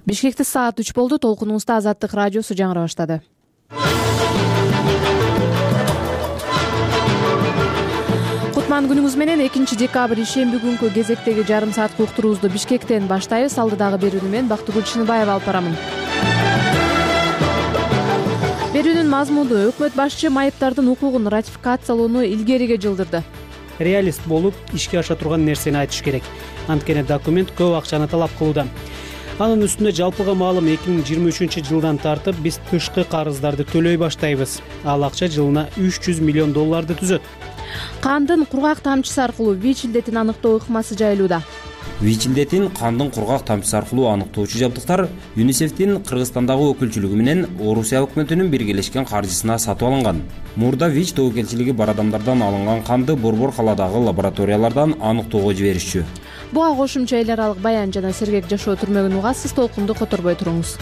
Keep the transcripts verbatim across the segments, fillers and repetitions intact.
Бишкекте саат үч болду. Толкунубузда Азаттык радиосу жаңыра баштады. Кутман күнүңүз менен. экинчи декабрь ишемби күнкү кезектеги жарым сааттык уктуруубузду Бишкектен баштайбыз. Алдыдагы берүүнү мен Бактыгүл Чыныбаева алып барамын. Берүүнүн мазмуну: өкмөт башчы майыптардын укугун ратификациялоону илгериге жылдырды. Реалист болуп ишке аша турган нерсени айтыш керек. Анткени документ көп акчаны талап кылууда. Анын үстүнө жалпыга маалым эки миң жыйырма үчүнчү жылдан тартып биз тышкы карыздарды төлөй баштайбыз. Ал акча жылына үч жүз миллион долларды түзөт. Кандын кургак тамчысы аркылуу ВИЧ илдетин аныктоо ыкмасы жайылууда. ВИЧ илдетин кандын кургак тамчысы аркылуу аныктоочу жабдыктар ЮНИСЕФтин Кыргызстандагы өкүлчүлүгү менен Орусия өкмөтүнүн биргелешкен каржысына сатып алынган. Мурда ВИЧ тобокелчилиги бар адамдардан алынган канды Борбор калаадагы лабораториялардан аныктоого жиберишчү. Буга кошумча эл аралык баян жана сергек жашоо түрмөгүн угасыз. Толкунду которбой туруңуз.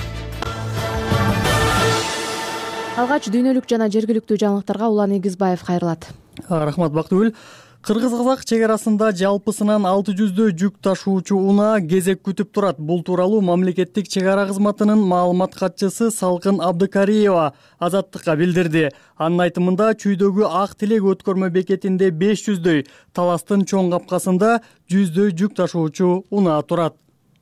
Алгач дүйнөлүк жана жергиликтүү жаңылыктарга Улан Эгизбаев кайрылат. Рахмат Бактыгүл. Кыргыз-казак чек арасында жалпысынан алты жүздөй жүк ташуучу унаа кезек күтүп турат. Бул тууралуу мамлекеттик чек ара кызматынын маалымат катчысы Салкын Абдыкариева Азаттыкка билдирди. Анын айтымында чүйдөгү Ак Тилек өткөрмө бекетинде беш жүздөй, Таластын чоң капкасында жүздөй жүк ташуучу унаа турат.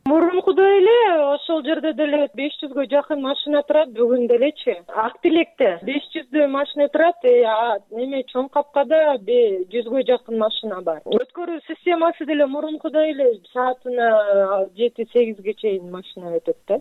Мурункудай эле ошол жерде деле беш жүзгө жакын машина турат. Бүгүн делечи Ак Тилекте беш жүздөй машина турат. Эме чоң капкада жүзгө жакын машина бар. Өткөрүү системасы деле мурункудай эле саатына жети сегизге чейин машина өтөт да.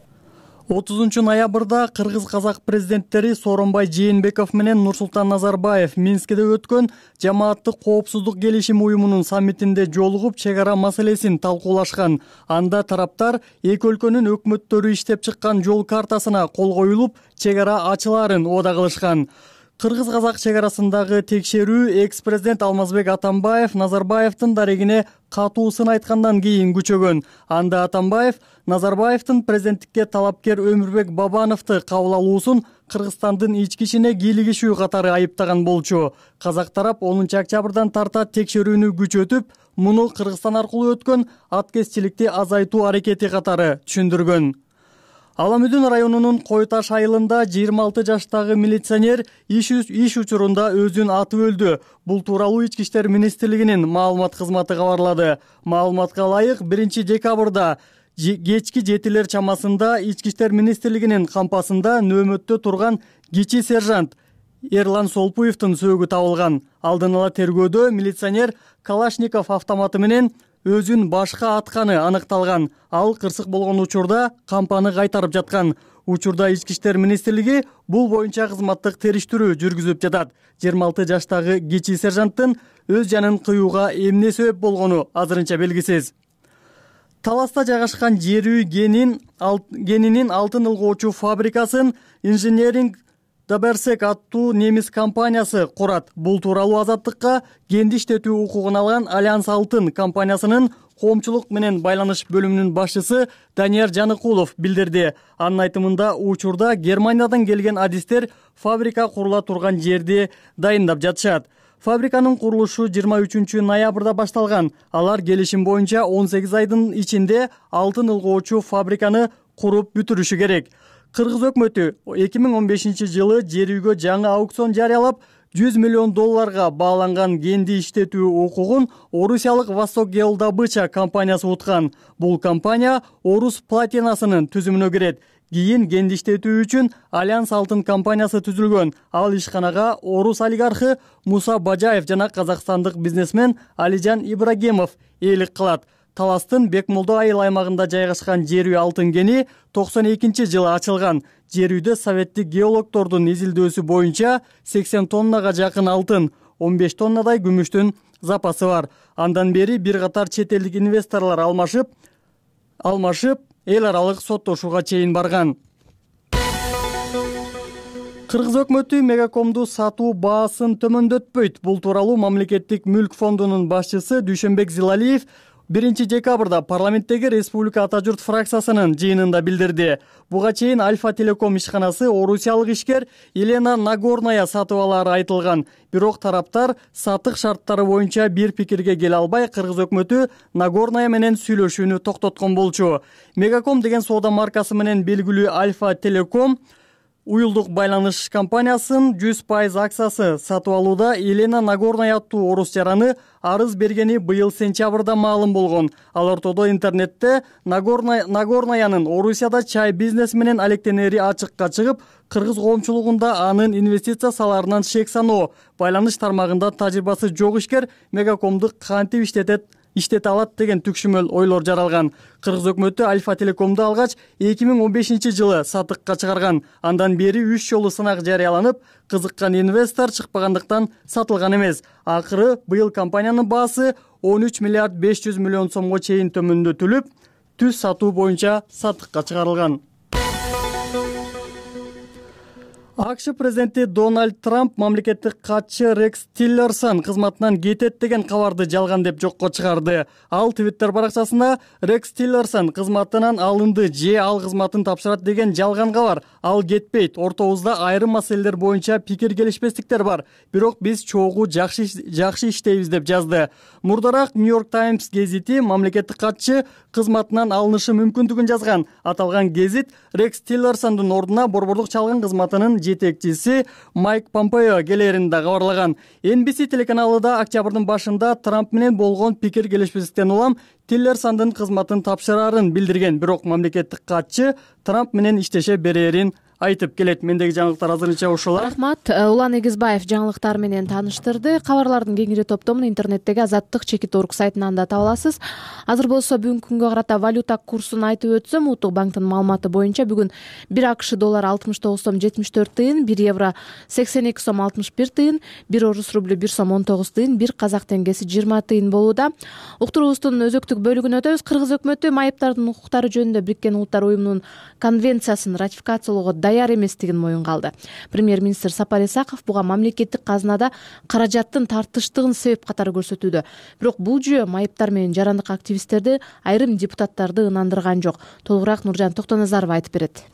отузунчу ноябрда кыргыз-казак президенттери Сооронбай Жээнбеков менен Нурсултан Назарбаев Минскиде өткөн жамааттык коопсуздук келишим уюмунун саммитинде жолугуп чек ара маселесин талкуулашкан. Анда тараптар эки өлкөнүн өкмөттөрү иштеп чыккан жол картасына кол коюлуп, чек ара ачылаарын убада кылышкан. Кыргыз-казак чек арасындагы текшерүү экс-президент Алмазбек Атамбаев Назарбаевдин дарегине катуу сын айткандан кийин күчөгөн. Анда Атамбаев Назарбаевдин президенттикке талапкер Өмүрбек Бабановду кабыл алуусун Кыргызстандын ички ишине кийлигишүү катары айыптаган болчу. Казак тарап онунчу октябрдан тарта текшерүүнү күчөтүп, муну Кыргызстан аркылуу өткөн аткезчиликти азайтуу аракети катары түшүндүргөн. Аламүдүн районунун Кой Таш айылында жыйырма алты жаштагы милиционер иш учурунда өзүн атып өлдү. Бул тууралуу Ички иштер министрлигинин маалымат кызматы кабарлады. Маалыматка ылайык биринчи декабрда кечки жетилер чамасында Ички иштер министрлигинин кампасында нөөмөттө турган кичи сержант Эрлан Солпуевдин сөөгү табылган. Алдын ала тергөөдө милиционер Калашников автоматы менен өзүн башка атканы аныкталган. Ал кырсык болгон учурда кампаны кайтарып жаткан. Учурда Ички иштер министрлиги бул боюнча кызматтык териштирүү жүргүзүп жатат. жыйырма алты жаштагы кичи сержанттын өз жанын кыюуга эмне себеп болгону азырынча белгисиз. Таласта жайгашкан жер үй генин генинин алтын ылгоочу фабрикасын Engineering Даберсек аттуу немис компаниясы курат. Бул тууралуу Азаттыкка генди иштетүү укугун алган Альянс Алтын компаниясынын коомчулук менен байланыш бөлүмүнүн башчысы Данияр Жаныкулов билдирди. Анын айтымында учурда Германиядан келген адистер фабрика курула турган жерди дайындап жатышат. Фабриканын курулушу жыйырма үчүнчү ноябрда башталган. Алар келишим боюнча он сегиз айдын ичинде алтын ылгоочу фабриканы куруп бүтүрүшү керек. Кыргыз өкмөтү эки миң он бешинчи жылы жер үйгө жаңы аукцион жарыялап, жүз миллион долларга бааланган генди иштетүү укугун орусиялык Восток Геолдобыча компаниясы уткан. Бул компания Орус платинасынын түзүмүнө кирет. Кийин генди иштетүү үчүн Альянс Алтын компаниясы түзүлгөн. Ал ишканага орус олигархы Муса Бажаев жана казакстандык бизнесмен Алижан Ибрагимов ээлик кылат. Таластын Бекмолдо айыл аймагында жайгашкан жер үй алтын кени токсон экинчи жылы ачылган. Жер үйдө советтик геологдордун изилдөөсү боюнча сексен тоннага жакын алтын, он беш тоннадай күмүштүн запасы бар. Андан бери бир катар чет элдик инвесторлор алмашып, алмашып эл аралык соттошууга чейин барган. Кыргыз өкмөтү Мегакомду сатуу баасын төмөндөтпөйт. Бул тууралуу мамлекеттик мүлк фондунун башчысы Дүйшөнбек Зилалиев биринчи декабрда парламенттеги Республика Ата журт фракциясынын жыйынында билдирди. Буга чейин Альфа Телеком ишканасы орусиялык ишкер Елена Нагорная сатып алары айтылган. Бирок тараптар сатык шарттары боюнча бир пикирге келе албай, кыргыз өкмөтү Нагорная менен сүйлөшүүнү токтоткон болчу. Мегаком деген соода маркасы менен белгилүү Альфа Телеком уюлдук байланыш компаниясынын жүз пайыз акциясы сатып алууда Елена Нагорная аттуу орус жараны арыз бергени быйыл сентябрда маалым болгон. Ал ортодо интернетте Нагорная Нагорнаянын Орусияда чай бизнеси менен алектенери ачыкка чыгып, кыргыз коомчулугунда анын инвестиция салаарынан шек саноо, байланыш тармагында тажрыйбасы жок ишкер Мегакомду кантип иштетет иштете алат деген түкшүмөл ойлор жаралган. Кыргыз өкмөтү Альфа Телекомду алгач эки миң он бешинчи жылы сатыкка чыгарган. Андан бери үч жолу сынак жарыяланып, кызыккан инвестор чыкпагандыктан сатылган эмес. Акыры быйыл компаниянын баасы он үч миллиард беш жүз миллион сомго чейин төмөндөтүлүп, түз сатуу боюнча сатыкка чыгарылган. АКШ президенти Дональд Трамп мамлекеттик катчы Рекс Тиллерсон кызматынан кетет деген кабарды жалган деп жокко чыгарды. Ал Твиттер баракчасында Рекс Тиллерсон кызматынан алынды же ал кызматын тапшырат деген жалган кабар. Ал кетпейт. Ортобузда айрым маселелер боюнча пикир келишпестиктер бар. Бирок биз чогуу жакшы жакшы иштейбиз деп жазды. Мурдараак Нью-Йорк Таймс гезити мамлекеттик катчы кызматынан алынышы мүмкүндүгүн жазган. Аталган гезит Рекс Тиллерсондун ордуна борбордук чалган кызматынын жетекчиси Майк Помпео келерин да кабарлаган. Эн Би Си телеканалы да октябрдын башында Трамп менен болгон пикир келишпестиктен улам Тиллерсондун кызматын тапшырарын билдирген. Бирок мамлекеттик катчы Трамп менен иштеше берерин айтып келет. Мендеги жаңылыктар азырынча ушулар. Рахмат. Улан Эгизбаев жаңылыктар менен тааныштырды. Кабарлардын кеңири топтомун интернеттеги Азаттык чекит орг сайтынан да таба аласыз. Азыр болсо бүгүнкү күнгө карата валюта курсун айтып өтсөм, Улуттук банктын маалыматы боюнча бүгүн бир АКШ доллар алтымыш тогуз сом жетимиш төрт тыйын, бир евро сексен эки сом алтымыш бир тыйын, бир орус рублю бир сом он тогуз тыйын, бир казак теңгеси жыйырма тыйын болууда. Уктуруубуздун өзөктүк бөлүгүнө өтөбүз. Кыргыз өкмөтү майыптардын укуктары жөнүндө Бириккен Улуттар уюмунун конвенциясын ратификациялоого даяр эместигин моюнга алды. Премьер-министр Сапар Исаков буга мамлекеттик казынада каражаттын тартыштыгын себеп катары көрсөтүүдө. Бирок бул жүйө майыптар менен жарандык активисттерди, айрым депутаттарды ынандырган жок. Толугураак Нуржан Токтоназаров айтып берет.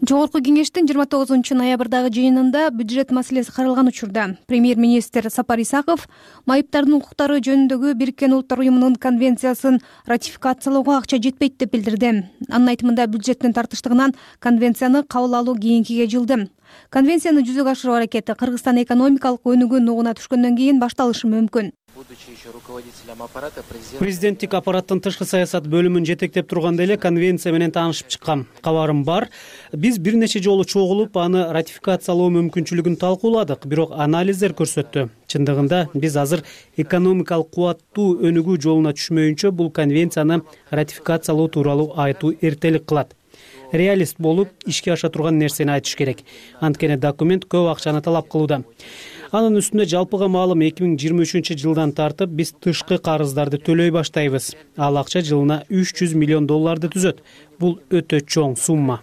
Жогорку кеңештин жыйырма тогузунчу ноябрдагы жыйынында бюджет маселеси каралган учурда премьер-министр Сапар Исаков майыптардын укуктары жөнүндөгү Бириккен Улуттар уюмунун конвенциясын ратификациялоого акча жетпейт деп билдирди. Анын айтымында бюджеттин тартыштыгынан конвенцияны кабыл алуу кийинкиге жылды. Конвенцияны жүзөгө ашыруу аракети Кыргызстан экономикалык өнүгүү нугуна түшкөндөн кийин башталышы мүмкүн. Президенттик аппараттын тышкы саясат бөлүмүн жетектеп турганда эле конвенция менен таанышып чыккам. Кабарым бар. Биз бир нече жолу чогулуп, аны ратификациялоо мүмкүнчүлүгүн талкууладык, бирок анализдер көрсөттү. Чындыгында биз азыр экономикалык кубаттуу өнүгүү жолуна түшмөйүнчө бул конвенцияны ратификациялоо тууралуу айтуу эртелик кылат. Реалист болуп, ишке аша турган нерсени айтыш керек. Анткени документ көп акчаны талап кылууда. Анын үстүнө жалпыга маалым эки миң жыйырма үчүнчү жылдан тартып биз тышкы карыздарды төлөй баштайбыз. Ал акча жылына үч жүз миллион долларды түзөт. Бул өтө чоң сумма.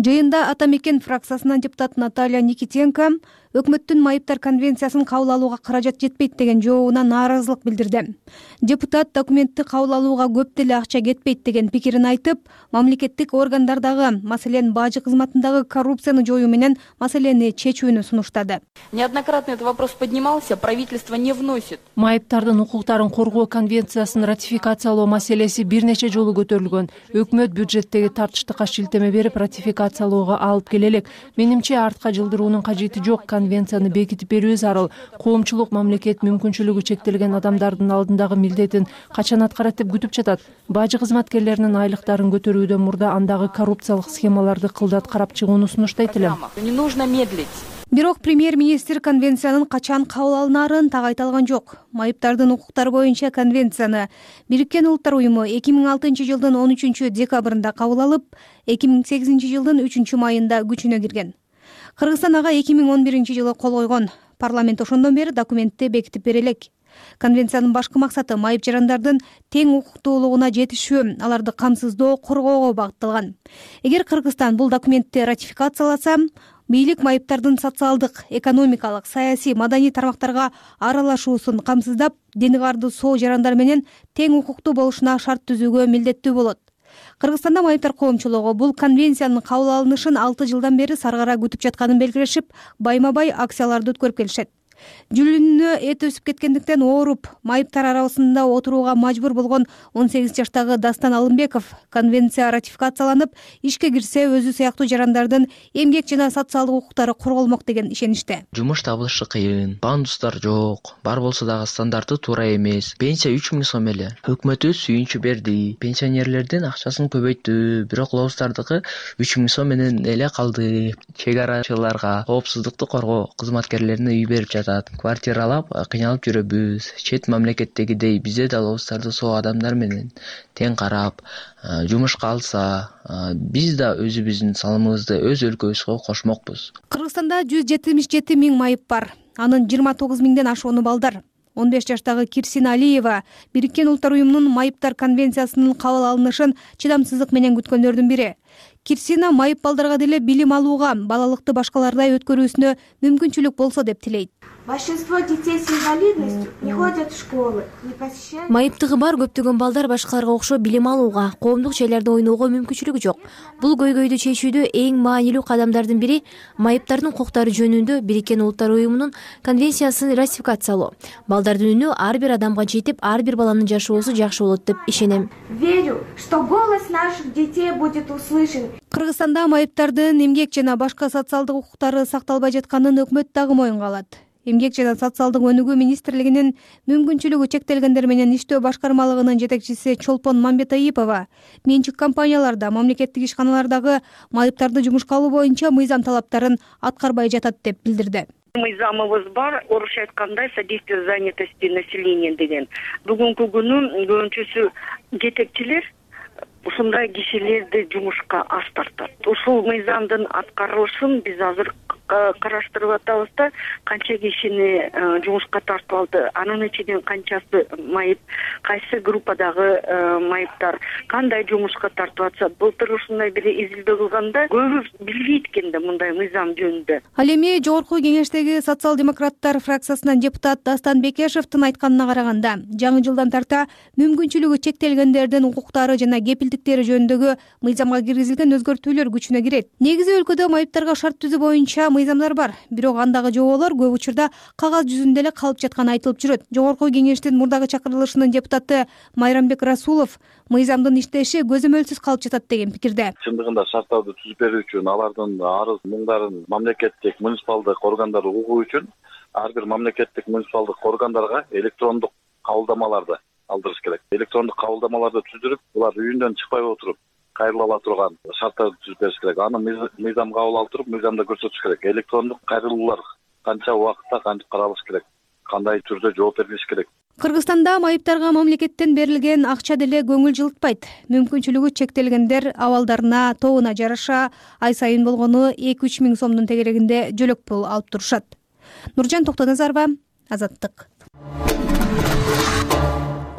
Жыйында Ата Мекен фракциясынын депутаты Наталья Никитенко өкмөттүн майыптар конвенциясын кабыл алууга каражат жетпейт деген жообуна нааразылык билдирди. Депутат документти кабыл алууга көп деле акча кетпейт деген пикирин айтып, мамлекеттик органдардагы, маселен бажы кызматындагы коррупцияны жоюу менен маселени чечүүнү сунуштады. Неоднократно этот вопрос поднимался, правительство не вносит. Майыптардын укуктарын коргоо конвенциясын ратификациялоо маселеси бир нече жолу көтөрүлгөн. Өкмөт бюджеттеги тартыштыкка шилтеме берип ратификациялоого алып келе элек. Менимче артка жылдыруунун кажети жок. Конвенцияны бекитип берүү зарыл. Коомчулук мамлекет мүмкүнчүлүгү чектелген адамдардын алдындагы милдетин качан аткарат деп күтүп жатат. Бажы кызматкерлеринин айлыктарын көтөрүүдөн мурда андагы коррупциялык схемаларды кылдат карап чыгууну сунуштайт элем. Не нужно медлить. Бирок премьер-министр конвенциянын качан кабыл алынаарын так айта алган жок. Майыптардын укуктары боюнча конвенцияны Бириккен Улуттар уюму эки миң алтынчы жылдын он үчүнчү декабрында кабыл алып, эки миң сегизинчи жылдын үчүнчү майында күчүнө кирген. Кыргызстан ага эки миң он биринчи жылы кол койгон. Парламент ошондон бери документти бекитип бере элек. Конвенциянын башкы максаты майып жарандардын тең укуктуулугуна жетишүү, аларды камсыздоо, коргоого багытталган. Эгер Кыргызстан бул документти ратификацияласа, бийлик майыптардын социалдык, экономикалык, саясий, маданий тармактарга аралашуусун камсыздап, дени барды соо жарандар менен тең укуктуу болушуна шарт түзүүгө милдеттүү болот. Кыргызстанда майыптар коомчулугу бул конвенциянын кабыл алынышын алты жылдан бери саргара күтүп жатканын белгилешип, байма-бай акцияларды өткөрүп келишет. Жүлүнүнө эт өсүп кеткендиктен ооруп, майыптар арабасында отурууга мажбур болгон он сегиз жаштагы Дастан Алымбеков конвенция ратификацияланып, ишке кирсе өзү сыяктуу жарандардын эмгек жана социалдык укуктары корголмок деген ишеничте. Жумуш табылышы кыйын, пандустар жок, бар болсо дагы стандарты туура эмес. Пенсия үч миң сом эле. Өкмөтүбүз сүйүнчү берди, пенсионерлердин акчасын көбөйттү, бирок лоустардыкы үч миң сом менен эле калды. Чек арачыларга, коопсуздукту коргоо кызматкерлерине үй берип жатат. Квартиралап кыйналып жүрөбүз. Чет мамлекеттегидей бизде да лоустарды соо адамдар менен тең карап, жумушка алса, биз да өзүбүздүн салымыбызды өз өлкөбүзгө кошмокпуз. Кыргызстанда жүз жетимиш жети миң майып бар. Анын жыйырма тогуз миңден ашууну балдар. он беш жаштагы Кирсина Алиева Бириккен Улуттар уюмунун майыптар конвенциясынын кабыл алынышын чыдамсыздык менен күткөндөрдүн бири. Кирсина майып балдарга деле билим алууга, балалыкты башкалардай өткөрүүсүнө мүмкүнчүлүк болсо деп тилейт. Большинство детей с инвалидностью не ходят в школы, не посещают. Майыптыгы бар көптөгөн балдар башкаларга окшоп билим алууга, коомдук жайларда ойноого мүмкүнчүлүгү жок. Бул көйгөйдү чечүүдө эң маанилүү кадамдардын бири майыптардын укуктары жөнүндө Бириккен Улуттар уюмунун конвенциясын ратификациялоо. Балдардын үнү ар бир адамга жетип, ар бир баланын жашоосу жакшы болот деп ишенем. Верю, что голос наших детей будет услышан. Кыргызстанда майыптардын эмгек жана башка социалдык укуктары сакталбай жатканын өкмөт дагы моюнга алат. Эмгек жана социалдык өнүгүү министрлигинин мүмкүнчүлүгү чектелгендер менен иштөө башкармалыгынын жетекчиси Чолпон Мамбетаипова менчик компанияларда, мамлекеттик ишканалардагы майыптарды жумушка алуу боюнча мыйзам талаптарын аткарбай жатат деп билдирди. Мыйзамыбыз бар, орусча айтканда содействие занятости населения деген. Бүгүнкү күнү көбүнчөсү жетекчилер ушундай кишилерди жумушка аз тартат. Ушул мыйзамдын аткарылышын биз азыр караштырып атабыз да, канча кишини жумушка тартып алды, анын ичинен канчасы майып, кайсы группадагы майыптар кандай жумушка тартып атса, былтыр ушундай бир изилдөө кылганда көбү билбейт экен да мындай мыйзам жөнүндө. Ал эми жогорку кеңештеги социал-демократтар фракциясынан депутат Дастан Бекешевдин айтканына караганда, жаңы жылдан тарта мүмкүнчүлүгү чектелгендердин укуктары жана кепилдиктери жөнүндөгү мыйзамга киргизилген өзгөртүүлөр күчүнө кирет. Негизи өлкөдө майыптарга шарт түзүү боюнча мыйзамдар бар, бирок андагы жоболор көп учурда кагаз жүзүндө эле калып жатканы айтылып жүрөт. Жогорку кеңештин мурдагы чакырылышынын депутаты Майрамбек Расулов мыйзамдын иштеши көзөмөлсүз калып жатат деген пикирде. Чындыгында шарттарды түзүп берүү үчүн, алардын арыз муңдарын мамлекеттик, муниципалдык органдар угуу үчүн ар бир мамлекеттик, муниципалдык органдарга электрондук кабылдамаларды алдырыш керек. Электрондук кабылдамаларды түзүрүп, булар үйүндөн чыкпай отуруп кайрыла ала турган шарттарды түзүп бериш керек. Аны мыйзам кабыл алып туруп, мыйзамда көрсөтүш керек. Электрондук кайрылуулар канча убакытта кантип каралыш керек, кандай түрдө жооп берилиш керек. Кыргызстанда майыптарга мамлекеттен берилген акча деле көңүл жылытпайт. Мүмкүнчүлүгү чектелгендер абалдарына, тобуна жараша ай сайын болгону эки үч миң сомдун тегерегинде жөлөк пул алып турушат. Нуржан Токтоназарова, Азаттык.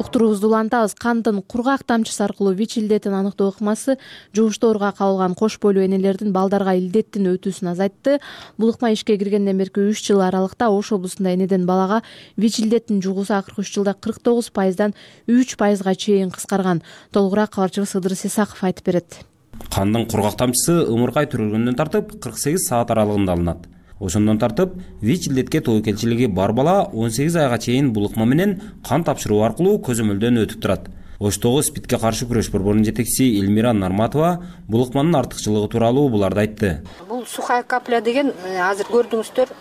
Уктуруубузду улантабыз. Кандын кургак тамчысы аркылуу ВИЧ илдетин аныктоо ыкмасы жугуштоорго кабылган кош бойлуу энелердин балдарга илдеттин өтүүсүн азайтты. Бул ыкма ишке киргенден берки үч жыл аралыкта Ош облусунда энеден балага ВИЧ илдетин жугуусу акыркы үч жылда кырк тогуз пайыздан үч пайызга чейин кыскарган. Толугураак кабарчыбыз Ыдырыс Исаков айтып берет. Кандын кургак тамчысы ымыркай төрөлгөндөн тартып кырк сегиз саат аралыгында алынат. Ошондон тартып ВИЧ илдетке тобокелчилиги бар бала он сегиз айга чейин бул ыкма менен кан тапшыруу аркылуу көзөмөлдөн өтүп турат. Оштогу СПИДке каршы күрөш борборунун жетекчиси Элмира Нарматова бул ыкманын артыкчылыгы тууралуу буларды айтты. Бул сухая капля деген азыр көрдүңүздөр,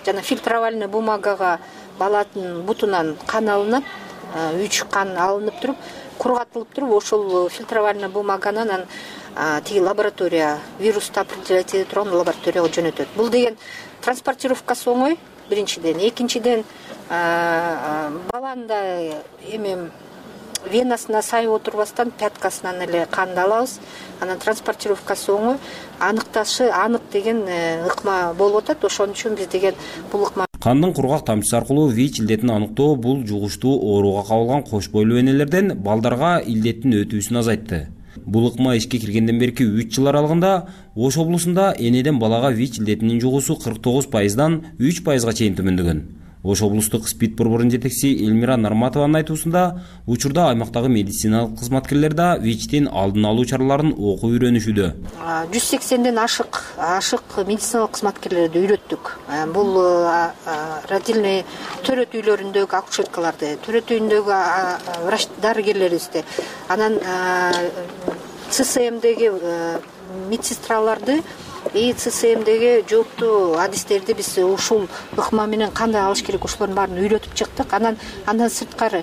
жана фильтровальный бумагага баланын бутунан кан алынат, үч кан алынып туруп, кургатылып туруп, ошол фильтровальный бумаганы анан тиги лаборатория, вирусту определять эте турган лабораторияга жөнөтөт. Бул деген транспортировкасы оңой, биринчиден, экинчиден баланда эме венасына сайып отурбастан пяткасынан эле канды алабыз. Анан транспортировкасы оңой, аныкташы анык деген ыкма болуп атат. Ошон үчүн биз деген бул ыкма кандын кургак тамчысы аркылуу ВИЧ илдетин аныктоо бул жугуштуу ооруга кабылган кош бойлуу энелерден балдарга илдеттин өтүүсүн азайтты. Бул ыкма ишке киргенден берки үч жыл аралыгында Ош облусунда энеден балага ВИЧ илдетинин жугуусу кырк тогуз пайыздан үч пайызга чейин төмөндөгөн. Ош облустук СПИД борборунун жетекчиси Элмира Нарматованын айтуусунда, учурда аймактагы медициналык кызматкерлер да ВИЧтин алдын алуу чараларын окуп үйрөнүшүүдө. жүз сексенден ашык ашык медициналык кызматкерлерди үйрөттүк. Бул родильный төрөт үйлөрүндөгү акушеркаларды, төрөт үйүндөгү врач дарыгерлерибизди, анан ЦСМдеги медсестраларды и ЦСМдеги жооптуу адистерди биз ушул ыкма менен кандай алыш керек ошолордун баарын үйрөтүп чыктык. Анан андан сырткары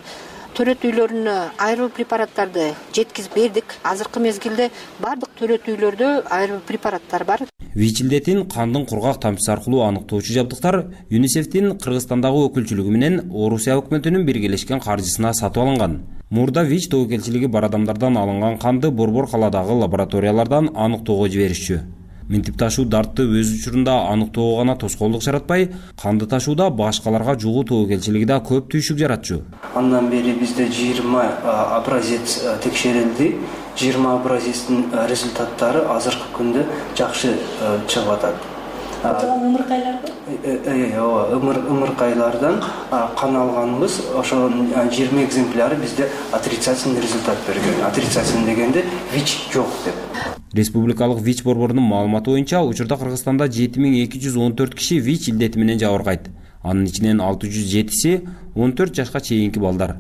төрөт үйлөрүнө айрылуу препараттарды жеткизип бердик. Азыркы мезгилде бардык төрөт үйлөрдө айрылуу препараттар бар. ВИЧ илдетин кандын кургак тамчысы аркылуу аныктоочу жабдыктар ЮНИСЕФтин Кыргызстандагы өкүлчүлүгү менен Орусия өкмөтүнүн биргелешкен каржысына сатып алынган. Мурда ВИЧ тобокелчилиги бар адамдардан алынган канды борбор каладагы лабораториялардан аныктоого жиберишчү. Минтип ташуу дартты өз учурунда аныктоого гана тоскоолдук жаратпай, канды ташууда башкаларга жугуу тобокелчилиги да көп түйшүк жаратчу. Андан бери бизде жыйырма образец текшерилди. жыйырма образецтин результаттары азыркы күндө жакшы чыгып атат. Ымыркайлардан? Ооба, ымыркайлардан кан алганбыз. Ошо жыйырма экземпляры бизде отрицательный результат берген. Отрицательный дегенде ВИЧ жок деп. Республикалык ВИЧ борборунун маалыматы боюнча, учурда Кыргызстанда жети миң эки жүз он төрт киши ВИЧ илдети менен жабыркайт. Анын ичинен алты жүз жетиси он төрт жашка чейинки балдар.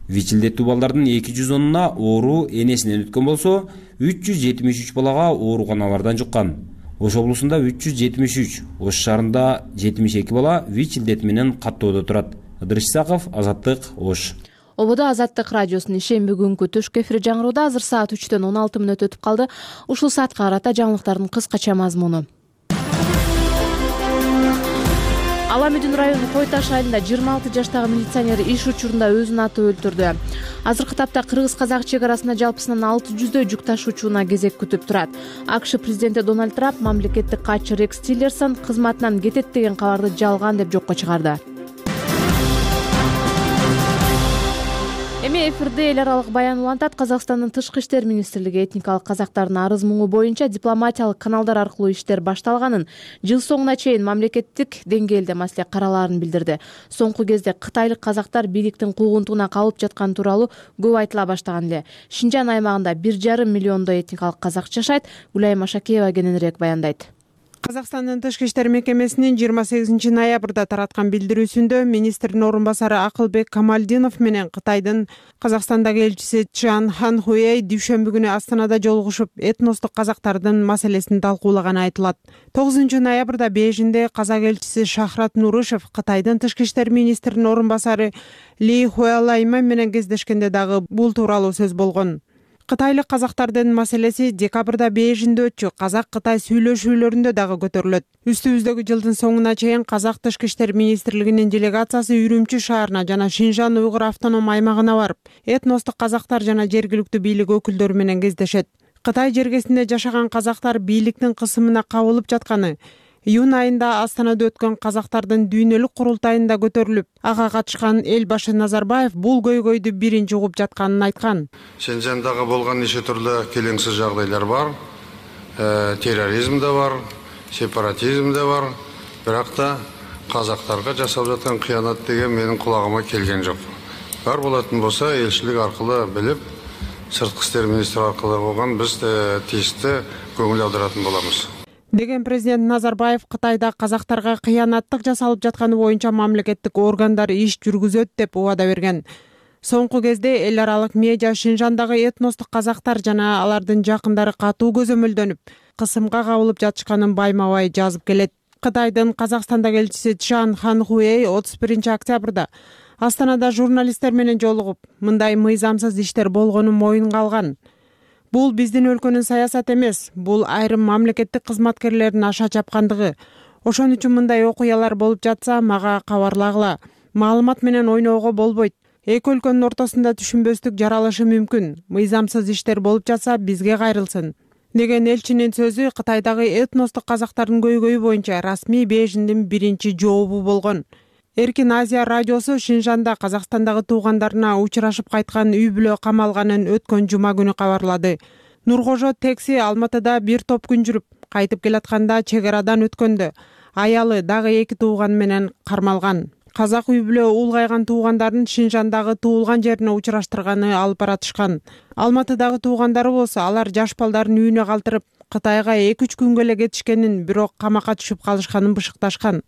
ВИЧ илдеттүү балдардын эки жүз онуна оору энесинен өткөн болсо, үч жүз жетимиш үч балага ооруканалардан жуккан. Ош облусунда үч жүз жетимиш үч, Ош шаарында жетимиш эки бала ВИЧ илдети менен каттоодо турат. Ыдырыш Исаков, Азаттык, Ош. Ободо Азаттык радиосунун ишемби күнгү түшкү эфири жаңыроодо. Азыр саат үчтөн он алты мүнөт өтүп калды. Ушул саатка карата жаңылыктардын кыскача мазмуну. Ала Мүдүн району Кой Таш айылында жыйырма алты жаштагы милиционер иш учурунда өзүн атып өлтүрдү. Азыркы тапта кыргыз-казак чек арасында жалпысынан алты жүздөй жүк ташуучуна кезек күтүп турат. АКШ президенти Дональд Трамп мамлекеттик катчы Рекс Тиллерсон кызматынан кетет деген кабарды жалган деп жокко чыгарды. Эми эфирде эл аралык баян улантат. Казакстандын тышкы иштер министрлиги этникалык казактардын арыз муңу боюнча дипломатиялык каналдар аркылуу иштер башталганын, жыл соңуна чейин мамлекеттик деңгээлде маселе каралаарын билдирди. Соңку кезде кытайлык казактар бийликтин куугунтугуна калып жаткан тууралуу көп айтыла баштаган эле. Шинжан аймагында бир жарым миллиондой этникалык казак жашайт. Гүлайым Машакеева кененирээк баяндайт. Казакстандын тышкы иштер мекемесинин жыйырма сегизинчи ноябрда тараткан билдирүүсүндө министрдин орун басары Акылбек Камалдинов менен Кытайдын Казакстандагы элчиси Чжан Ханхуэй дүйшөмбү күнү Астанада жолугушуп, этностук казактардын маселесин талкуулаганы айтылат. тогузунчу ноябрда Бейжиңде казак элчиси Шахрат Нурышев Кытайдын тышкы иштер министринин орун басары Ли Хуэлайман менен кездешкенде дагы бул тууралуу сөз болгон. Кытайлык казактардын маселеси декабрда Бейжиңде өтчү казак-кытай сүйлөшүүлөрүндө дагы көтөрүлөт. Үстүбүздөгү жылдын соңуна чейин казак тышкы иштер министрлигинин делегациясы Үрүмчү шаарына жана Шинжан уйгур автоном аймагына барып, этностук казактар жана жергиликтүү бийлик өкүлдөрү менен кездешет. Кытай жергесинде жашаган казактар бийликтин кысымына кабылып жатканы, июнь айында Астанада өткөн казактардын дүйнөлүк курултайында көтөрүлүп, ага катышкан эл башы Назарбаев бул көйгөйдү биринчи угуп жатканын айткан. Шинжандагы болгон нече түрлүү келеңсиз жагдайлар бар. Терроризм да бар, сепаратизм да бар. Бирок да казактарга жасалып жаткан кыянат деген менин кулагыма келген жок. Бар болатын болсо элчилик аркылуу билип, сырткы иштер министри аркылуу болгон биз тийиштүү көңүл аударатын болобуз. Деген президент Назарбаев Кытайда казактарга кыянаттык жасалып жатканы боюнча мамлекеттик органдар иш жүргүзөт деп убада берген. Соңку кезде эл аралык медиа Шинжандагы этностук казактар жана алардын жакындары катуу көзөмөлдөнүп, кысымга кабылып жатышканын байма-бай жазып келет. Кытайдын Казакстандагы элчиси Чжан Ханхуэй отуз биринчи октябрда Астанада журналисттер менен жолугуп, мындай мыйзамсыз иштер болгонун моюнга алган. Бул биздин өлкөнүн саясаты эмес, бул айрым мамлекеттик кызматкерлердин аша чапкандыгы. Ошон үчүн мындай окуялар болуп жатса, мага кабарлагыла. Маалымат менен ойноого болбойт. Эки өлкөнүн ортосунда түшүнбөстүк жаралышы мүмкүн. Мыйзамсыз иштер болуп жатса, бизге кайрылсын. Деген элчинин сөзү Кытайдагы этностук казактардын көйгөйү боюнча расмий Бейжиңдин биринчи жообу болгон. Эркин Азия радиосу Шинжанда Казакстандагы туугандарына учурашып кайткан үй бүлө камалганын өткөн жума күнү кабарлады. Нуркожо Текси Алматыда бир топ күн жүрүп кайтып келатканда чек арадан өткөндө аялы дагы эки тууганы менен кармалган. Казак үй бүлө улгайган туугандарын Шинжандагы туулган жерине учураштырганы алып баратышкан. Алматыдагы туугандары болсо алар жаш балдарын үйүнө калтырып Кытайга эки үч күнгө эле кетишкенин, бирок камакка түшүп калышканын бышыкташкан.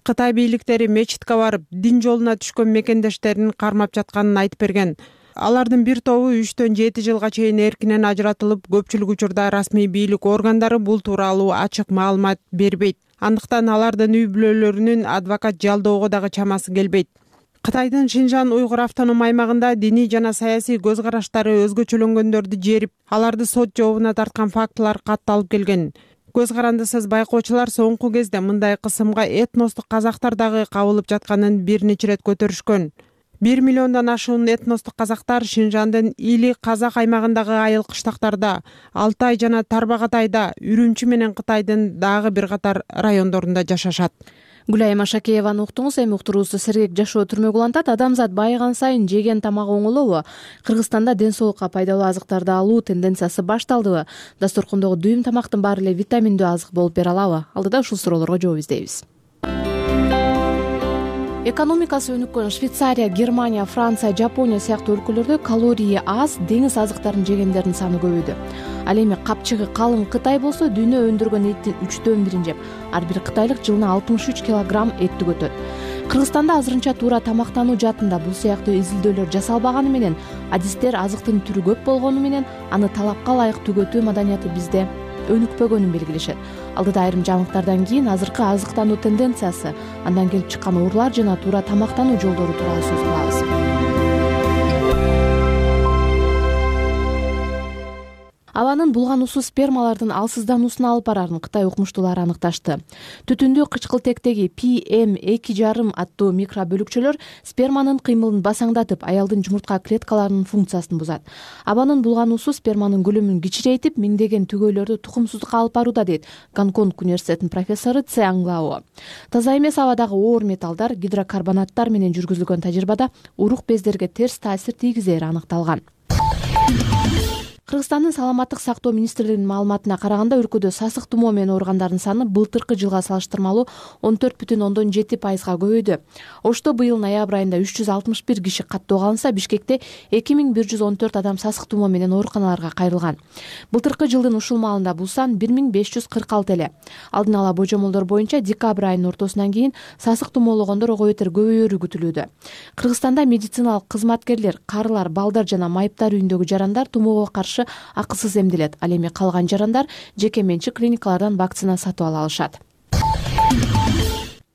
Кытай бийликтери мечитке барып, дин жолуна түшкөн мекендештерин кармап жатканын айтып берген. Алардын бир тобу үчтөн жети жылга чейин эркинен ажыратылып, көпчүлүк учурда расмий бийлик органдары бул тууралуу ачык маалымат бербейт. Андыктан алардын үй бүлөлөрүнүн адвокат жалдоого дагы чамасы келбейт. Кытайдын Шинжан уйгур автоном аймагында диний жана саясий көз караштары өзгөчөлөнгөндөрдү жерип, аларды сот жообуна тарткан фактылар катталып келген. Көз карандысыз байкоочулар соңку кезде мындай кысымга этностук казактар дагы кабылып жатканын бир нече ирет көтөрүшкөн. бир миллиондон ашуун этностук казактар Шинжандын Или казак аймагындагы айыл кыштактарда, Алтай жана Тарбагатайда, Үрүмчү менен Кытайдын дагы бир катар райондорунда жашашат. Гүлайым Ашакееваны уктуңуз. Эми уктуруусу сергек жашоо түрмөгү улантат. Адамзат байыган сайын жеген тамагы оңолобу? Кыргызстанда ден соолукка пайдалуу азыктарды алуу тенденциясы башталдыбы? Дасторкондогу дүйүм тамактын баары эле витаминдүү азык болуп бере алабы? Алдыда ушул суроолорго жооп издейбиз. Экономикасы өнүккөн Швейцария, Германия, Франция, Жапония сыяктуу өлкөлөрдө калории аз деңиз азыктарын жегендердин саны көбөйдү. Ал эми капчыгы калың Кытай болсо дүйнө өндүргөн эттин үчтөн бирин жеп, ар бир кытайлык жылына алтымыш үч килограмм эт түгөтөт. Кыргызстанда азырынча туура тамактануу жаатында бул сыяктуу изилдөөлөр жасалбаганы менен, адистер азыктын түрү көп болгону менен аны талапка ылайык түгөтүү маданияты бизде өнүкпөгөнүн белгилешет. Алдыда айрым жаңылыктардан кийин азыркы азыктануу тенденциясы, андан келип чыккан оорлар жана туура тамактануу жолдору тууралуу сөз кылабыз. Абанын булгануусу спермалардын алсыздануусуна алып барарын Кытай укмуштуулары аныкташты. Түтүндүү кычкылтектеги пи эм эки жарым аттуу микробөлүкчөлөр сперманын кыймылын басаңдатып, аялдын жумуртка клеткаларынын функциясын бузат. Абанын булгануусу сперманын көлөмүн кичирейтип, миңдеген түгөйлөрдү тукумсуздукка алып барууда, дейт Гонконг университетинин профессору Цянг Лао. Таза эмес абадагы оор металлдар, гидрокарбонаттар менен жүргүзүлгөн тажрыйбада урук бездерге терс таасир тийгизери аныкталган. Кыргызстандын саламаттык сактоо министрлигинин маалыматына караганда, өлкөдө сасык тумоо менен ооругандардын саны былтыркы жылга салыштырмалуу он төрт бүтүн ондон жети пайызга көбөйдү. Ошто быйыл ноябрь айында үч жүз алтымыш бир киши каттоого алынса, Бишкекте эки миң бир жүз он төрт адам сасык тумоо менен ооруканаларга кайрылган. Былтыркы жылдын ушул маалында бул сан бир миң беш жүз кырк алты эле. Алдын ала божомолдор боюнча декабрь айынын ортосунан кийин сасык тумоологондор ого бетер көбөйөрү күтүлүүдө. Кыргызстанда медициналык кызматкерлер, карылар, балдар жана майыптар үйүндөгү жарандар тумоого каршы акысыз эмделет. Ал эми калган жарандар жеке менчик клиникалардан вакцина сатып ала алышат.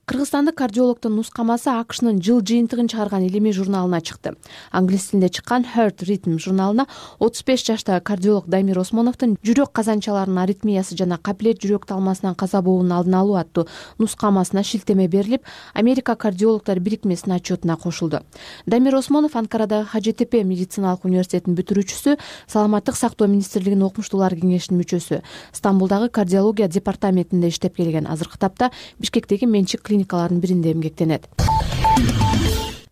Кыргызстандык кардиологдун нускамасы АКШнын жыл жыйынтыгын чыгарган илимий журналына чыкты. Англис тилинде чыккан Heart Rhythm журналына отуз беш жаштагы кардиолог Дамир Осмоновдун жүрөк казанчаларынын аритмиясы жана капиллер жүрөк талмасынан каза болуунун алдын алуу аттуу нускамасына шилтеме берилип, Америка кардиологдор бирикмесинин отчетуна кошулду. Дамир Осмонов Анкарадагы Ха Же Те Пе медициналык университетинин бүтүрүүчүсү, саламаттык сактоо министрлигинин окумуштуулар кеңешинин мүчөсү, Стамбулдагы кардиология департаментинде иштеп келген. Азыркы тапта Бишкектеги менчик клиникалардын биринде эмгектенет.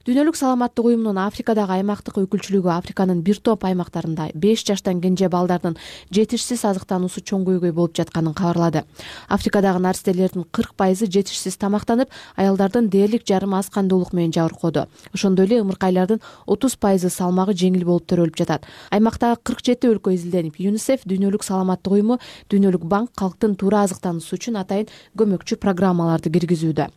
Дүйнөлүк саламаттык уюмунун Африкадагы аймактык өкүлчүлүгү Африканын бир топ аймактарында беш жаштан кенже балдардын жетишсиз азыктануусу чоң көйгөй болуп жатканын кабарлады. Африкадагы наристелердин кырк пайызы жетишсиз тамактанып, аялдардын дээрлик жарым аз кандуулук менен жабыркоодо. Ошондой эле ымыркайлардын отуз пайызы салмагы жеңил болуп төрөлүп жатат. Аймактагы кырк жети өлкө изилденип, ЮНИСЕФ, Дүйнөлүк саламаттык уюму, Дүйнөлүк банк калктын туура азыктануусу үчүн атайын көмөкчү программаларды киргизүүдө.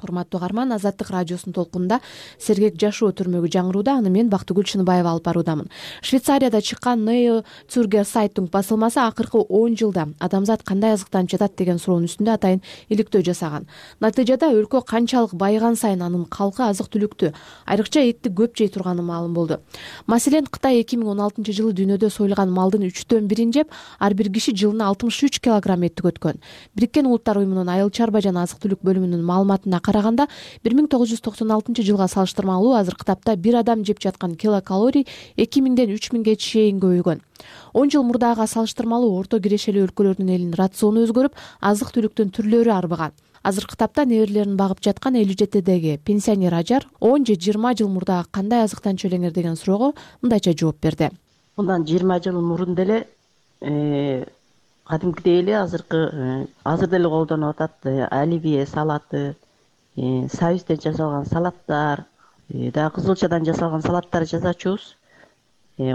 Урматтуу угарман, Азаттык радиосунун толкунунда сергек жашоо түрмөгү жаңырууда. Аны мен Бактыгүл Чыныбаева алып баруудамын. Швейцарияда чыккан Нео Цюргер сайттын басылмасы акыркы он жылда адамзат кандай азыктанып жатат деген суроонун үстүндө атайын иликтөө жасаган. Натыйжада өлкө канчалык байыган сайын анын калкы азык-түлүктү, айрыкча этти көп жей турганы маалым болду. Маселен, Кытай эки миң он алтынчы жылы дүйнөдө союлган малдын үчтөн бирин жеп, ар бир киши жылына алтымыш үч килограмм эт түгөткөн. Бириккен Улуттар уюмунун айыл чарба жана азык-түлүк бөлүмүнүн маалыматына караганда, бир миң тогуз жүз токсон алтынчы жылга салыштырмалуу азыркы тапта бир адам жеп жаткан килокалорий эки миңден үч миңге чейин көбөйгөн. он жыл мурдага салыштырмалуу орто кирешелүү өлкөлөрдүн элинин рациону өзгөрүп, азык-түлүктүн түрлөрү арбыган. Азыркы тапта неберелерин багып жаткан элүү жетидеги пенсионер ажар он же жыйырма жыл мурдагы кандай азыктан чөлеңер деген суроого мындайча жооп берди. мындан жыйырма жыл мурун деле кадимкидей эле азыркы азыр деле колдонуп атат оливье салаты, союзден жасалган салаттар, дагы кызылчадан жасалган салаттар жасачубуз.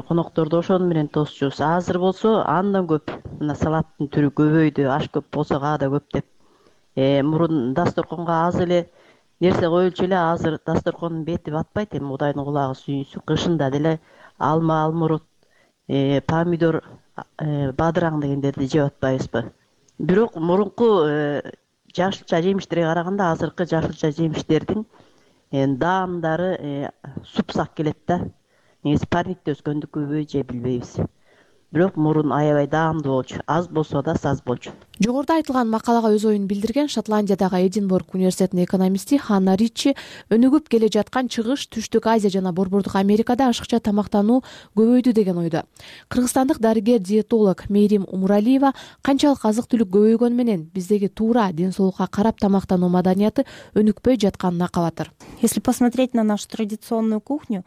Конокторду ошону менен тосчубуз. Азыр болсо андан көп мына салаттын түрү көбөйдү, аш көп болсо ага да көп деп. Мурун дасторконго аз эле нерсе коюлчу эле, азыр дасторкондун бети батпайт. Эми Кудайдын кулагы сүйүнсүн. Кышында деле алма, алмурут, помидор, бадыраң дегендерди жеп атпайбызбы? Бирок мурунку жашылча жемиштерге караганда азыркы жашылча жемиштердин даамдары супсак келет да. Негизи парникте өскөндүкүбү же билбейбиз. Бирок мурун аябай даамдуу болчу. Аз болсо да саз болчу. Жогоруда айтылган макалага өз оюн билдирген Шотландиядагы Эдинбург университетинин экономисти Ханна Ричи өнүгүп келе жаткан Чыгыш, Түштүк Азия жана Борбордук Америкада ашыкча тамактануу көбөйдү деген ойдо. Кыргызстандык дарыгер-диетолог Мээрим Умуралиева канчалык азык-түлүк көбөйгөнү менен биздеги туура ден соолукка карап тамактануу маданияты өнүкпөй жатканына кабатыр. Если посмотреть на нашу традиционную кухню,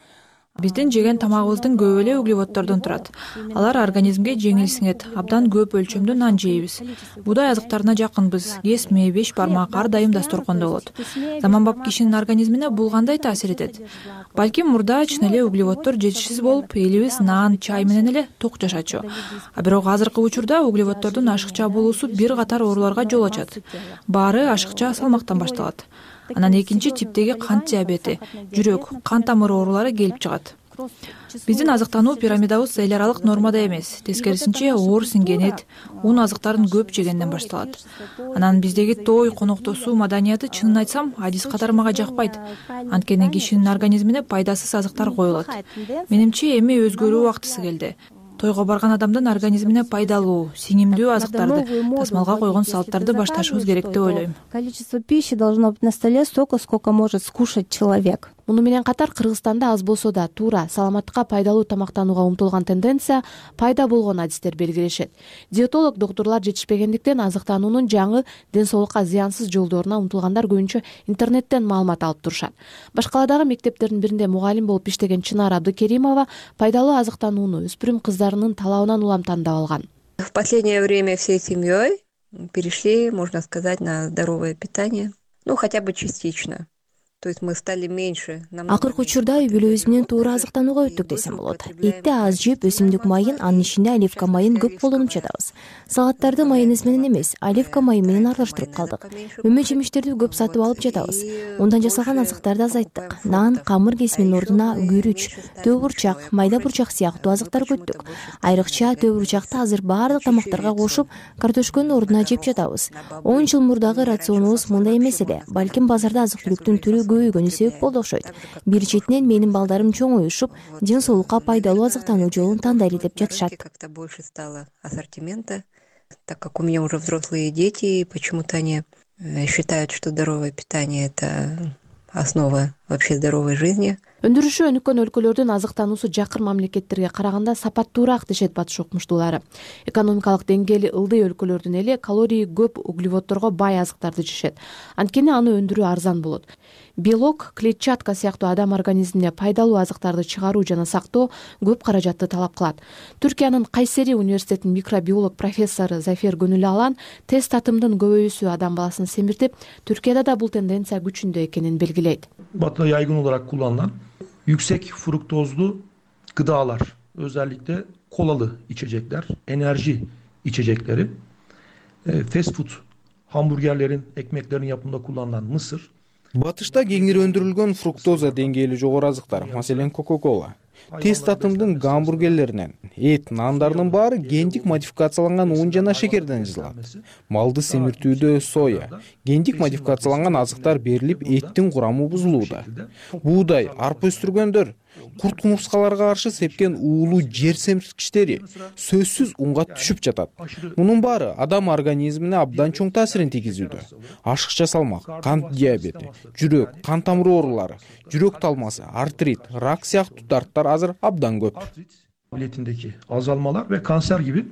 биздин жеген тамагыбыздын көбү эле углеводдордон турат. Алар организмге жеңил сиңет. Абдан көп өлчөмдүү нан жейбиз. Будай азыктарына жакынбыз. Кесме, беш бармак ар дайым дасторкондо болот. Заманбап кишинин организмине бул кандай таасир этет? Балким мурда чын эле углеводдор жетишсиз болуп, элибиз нан, чай менен эле ток жашачу. А бирок азыркы учурда углеводдордун ашыкча болуусу бир катар ооруларга жол ачат. Баары ашыкча салмактан башталат. Анан экинчи типтеги кант диабети, жүрөк, кан тамыры оорулары келип чыгат. Биздин азыктануу пирамидабыз эл аралык нормада эмес. Тескерисинче оор сиңген, ун азыктарын көп жегенден башталат. Анан биздеги той, коноктосуу маданияты чынын айтсам, адис катары мага жакпайт. Анткени кишинин организмине пайдасыз азыктар коюлат. Менимче эми өзгөрүү убактысы келди. Тойго барган адамдын организмине пайдалуу, сиңимдүү азыктарды, тасмалга койгон салттарды башташыбыз керек деп ойлойм. Количество пищи должно быть на столе столько, сколько может скушать человек. Муну менен катар Кыргызстанда аз болсо да туура, саламаттыкка пайдалуу тамактанууга умтулган тенденция пайда болгон адистер белгилешет. Диетолог доктурлар жетишпегендиктен азыктануунун жаңы ден соолукка зыянсыз жолдоруна умтулгандар көбүнчө интернеттен маалымат алып турушат. Башкаладагы мектептердин биринде мугалим болуп иштеген Чынар Абдыкеримова пайдалуу азыктанууну өспүрүм кыздарынын талабынан улам тандап алган. В последнее время всей семьей перешли, можно сказать, на здоровое питание, ну хотя бы частично. То есть мы стали меньше. Акыркы учурда үй бүлөбүз менен туура азыктанууга өттүк десем болот. Этти аз жеп, өсүмдүк майын, анын ичинде оливка майын көп колдонуп жатабыз. Салаттарды майонез менен эмес, оливка майы менен аралаштырып калдык. Мөмө жемиштерди көп сатып алып жатабыз. Ундан жасалган азыктарды азайттык. Нан, камыр кесминин ордуна күрүч, төө бурчак, майда бурчак сыяктуу азыктар көттүк. Айрыкча төө бурчакты азыр баардык тамактарга кошуп, картошконун ордуна жеп жатабыз. он жыл мурдагы рационубуз мындай эмес эле. Балким базарда азык-түлүктүн түрү көбөйгөнү себеп болду окшойт. Бир четинен менин балдарым чоңоюшуп, ден соолукка пайдалуу азыктануу жолун тандайлы деп жатышат. Как-то больше стало ассортимента, так как у меня уже взрослые дети, почему-то они считают, что здоровое питание – это основа вообще здоровой жизни. Өндүрүшү өнүккөн өлкөлөрдүн азыктануусу жакыр мамлекеттерге караганда сапаттуураак дешет батыш окумуштуулары. Экономикалык деңгээли ылдый өлкөлөрдүн эли калории көп углеводдорго бай азыктарды жешет. Анткени аны өндүрүү арзан болот. Белок, клетчатка сыяктуу адам организмине пайдалуу азыктарды чыгаруу жана сактоо көп каражатты талап кылат. Түркиянын Кайсери университетинин микробиолог профессору Зафер Гөнүл Алан тест татымдын көбөйүүсү адам баласын семиртип, Түркияда да бул тенденция күчүндө экенин белгилейт. Batı'da yaygın olarak kullanılan yüksek fruktozlu gıdalar, özellikle kolalı içecekler, enerji içecekleri, fast food, hamburgerlerin, ekmeklerin yapımında kullanılan mısır. Батышта кеңири өндүрүлгөн фруктоза деңгээли жогору азыктар, маселен Coca-Cola, тест татымдын гамбургерлеринен, эт, нандарынын баары гендик модификацияланган ун жана шекерден жасалат. Малды семиртүүдө соя, гендик модификацияланган азыктар берилип, эттин курамы бузулууда. Буудай, арпа өстүргөндөр, курт кумурскаларга каршы сепкен уулуу жер семирткичтери сөзсүз унга түшүп жатат. Мунун баары адам организмине абдан чоң таасирин тийгизүүдө. Ашыкча салмак, кант диабети, жүрөк, кан тамыры оорулары, жүрөк талмасы, артрит, рак сыяктуу дарттар азыр абдан көп. Biletindeki azalmalar ve kanser gibi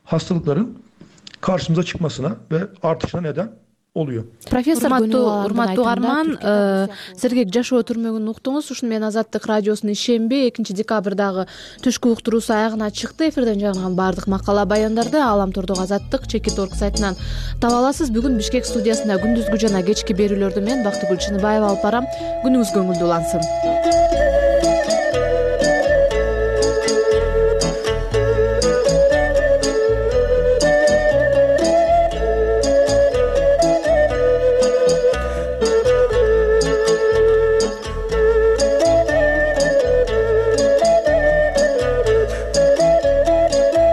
hastalıkların karşımıza çıkmasına ve artışına neden oluyor. Профессор урматтуу угарман, Сергек жашоо түрмөгүн уктуңуз. Ушуну менен Азаттык радиосунун ишемби экинчи декабрдагы түшкү уктуруусу аягына чыкты. Эфирден жарынган баардык макала баяндарды Алам Тордогу Азаттык чекит орг сайтынан таба аласыз. Бүгүн Бишкек студиясында күндүзгү жана кечки берүүлөрдү мен Бактыгүл Чыныбаева алып барам. Күнүңүз көңүлдүү улансын.